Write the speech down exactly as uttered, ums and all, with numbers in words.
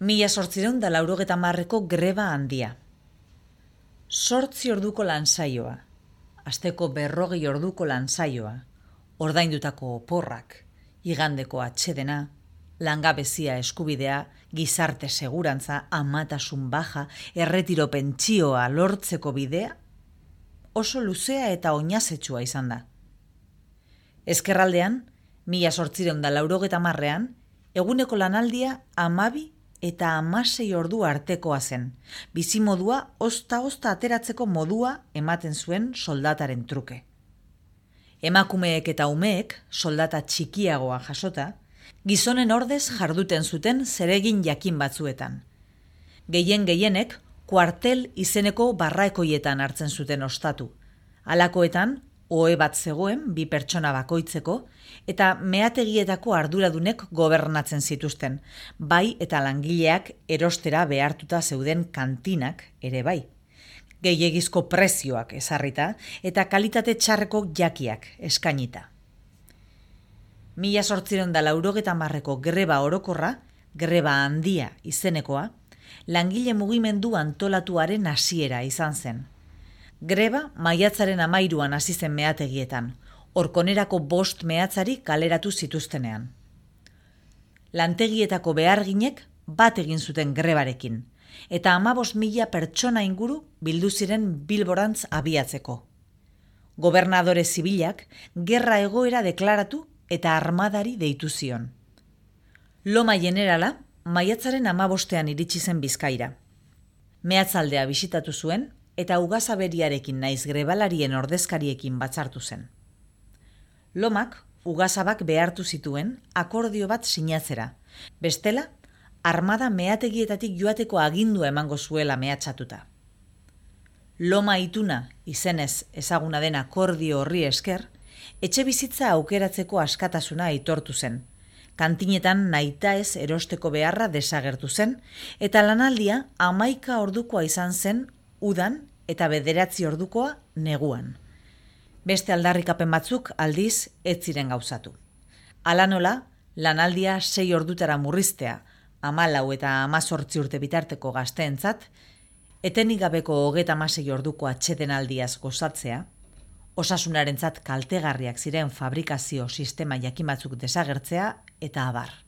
Mila sortzireun da laurogeta marreko greba handia. Sortzi orduko lansaioa, asteko berrogei orduko lansaioa, ordaindutako oporrak, igandeko atsedena, langabezia eskubidea, gizarte segurantza, amatasun baja, erretiro pentsioa lortzeko bidea, oso luzea eta oinazetsua izan da. Ezkerraldean, mila sortzireun da laurogeta marrean, eguneko lanaldia amabi eta hamasei ordu artekoa zen, bizimodua ozta-ozta ateratzeko modua ematen zuen soldataren truke. Emakumeek eta umeek soldata txikiagoa jasota, gizonen ordez jarduten zuten zeregin jakin batzuetan. Gehien gehienek kuartel izeneko barraekoietan hartzen zuten ostatu. Halakoetan, ohe bat zegoen bi pertsona bakoitzeko, eta meategietako arduradunek gobernatzen zituzten, bai eta langileak erostera behartuta zeuden kantinak ere bai. Gehiegizko prezioak ezarrita eta kalitate txarreko jakiak eskainita. Mila sortzireun da laurogeta marreko greba orokorra, greba handia izenekoa, langile mugimendu antolatuaren hasiera izan zen. Greba maiatzaren amairuan hasi zen meategietan, orkonerako bost meatzari kaleratu zituztenean. Lantegietako beharginek bat egin zuten grebarekin, eta hamabost mila pertsona inguru bildu ziren Bilborantz abiatzeko. Gobernadore zibilak gerra egoera deklaratu eta armadari deitu zion. Loma Jenerala maiatzaren hamabostean iritsi zen Bizkaira. Meatzaldea bisitatu zuen, eta ugazaberiarekin naiz grebalarien ordezkariekin batzartu zen. Lomak ugazabak behartu zituen akordio bat sinatzera, bestela armada meategietatik joateko agindua emango zuela mehatxatuta. Loma ituna izenez ezaguna den akordio horri esker, etxe bizitza aukeratzeko askatasuna aitortu zen, kantinetan nahitaez erosteko beharra desagertu zen, eta lanaldia hamaika ordukoa izan zen udan eta bederatzi ordukoa neguan. Beste aldarrikapen batzuk aldiz ez ziren gauzatu. Hala nola, lanaldia sei ordutara murriztea, hamalau eta hamazortzi urte bitarteko gazteentzat, etenik gabeko hogeta hamasei orduko atsedenaldiaz gozatzea, osasunarentzat kaltegarriak ziren fabrikazio sistema jakin batzuk desagertzea eta abar.